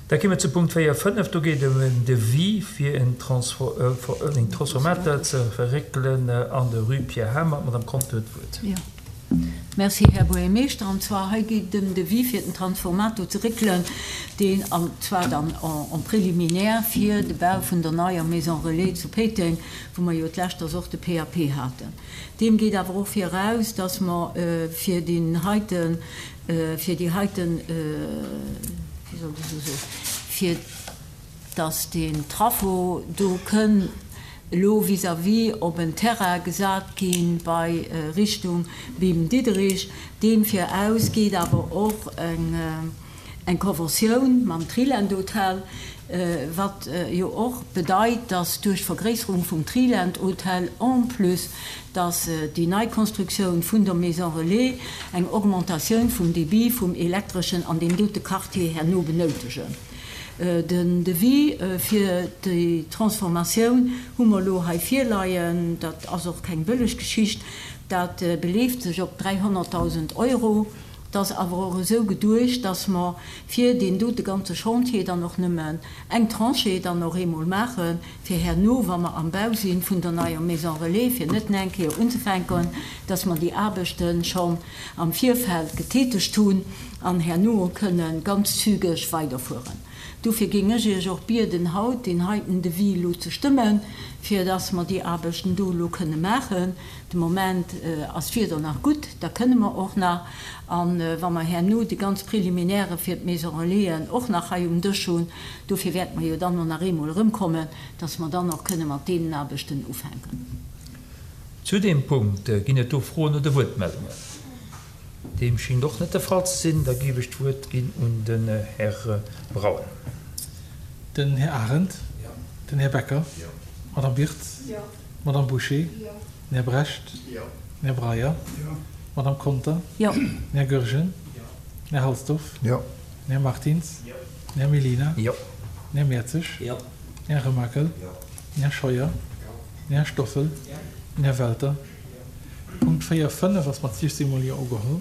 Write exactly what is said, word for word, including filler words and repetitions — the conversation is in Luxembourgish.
Da komme mir zu Punkt véier, fënnef. Do geet et ëm en Devis fir en Transformateur ze verréckelen an der Rue Pierre Hamer. D'Madame Conter huet d'Wuert. Jo. Merci, Här Buergermeeschter. An zwar hei geet et ëm Devis fir den Transformator ze réckelen, deen, an zwar dann en préliminaire fir de Bau vun der neier Maison relais zu Péiteng, wou mer jo d'lescht och de P A P haten. Deem geet awer och viraus, dass mer fir deen heiten, fir déi heiten, wéi soll ech esou soen, fir dass deen Trafo do kënn elo vis-à-vis op en Terrain gesat gi bei Richtung Bim Diderich. Deem viraus geet awer och eng eng Conventioun mam Triland Hotel, wat jo och bedeit, dass duerch d'Vergréisserung vum Triland Hotel, en plus dass déi nei Konstruktioun vun der Maison Relais, eng Augmentatioun vum Débit vum Elektreschen an deem dote Quartier herno benoutegen. Den Devis fir déi Transformatioun hu mer elo hei virleien. Dat ass och keng bëlleg Geschicht. Dat beleeft sech op dräihonnertdausend Euro. Dat ass awer och esou geduecht, dass mer fir deen dote ganze Chantier dann och nëmmen eng Tranche dann och eemol maachen, fir herno, wa mer am Bau si vun der neier Maison Relais, fir net nach eng Kéier unzefänken, dass mer déi Aarbechte schonn am Virfeld getätegt hunn an herno kënne ganz zügeg weiderfueren. Dofir géing ech Iech och bieden, haut deen heiten Devis elo ze stëmmen, fir dass mer déi Aarbechten do elo kënne maachen. De Moment ass d'Wieder nach gutt, da kënne mer och nach. A wa mer herno déi ganz Préliminairë fir d'Maison Relaisen och nach hei um Dësch hunn, dofir wäerte mer jo dann och nach eemol erëmkommen, dass mer dann och kënne mat deenen Aarbechten ufänken. Zu deem Punkt ginn et do Froen oder Wuertmeldungen? Deem schéngt och net de Fall ze sinn. Da géif ech d'Wuert ginn un den Här Braun. Den Här Arendt. Den Här Becker. D'Madame Wirtz. D'Madame Bouché. Den Här Brecht. Den Här Breyer. D'Madame Conter. Den Här Goergen. Den Här Halsdorf. Den Här Martins. Den Här Mellina. Den Här Mertzig. Den Här Remakel. Den Här Scheuer. Den Här Stoffel. Den Här Welter. Punkt véier, fënnef ass mat siechzéng mol Jo ugeholl.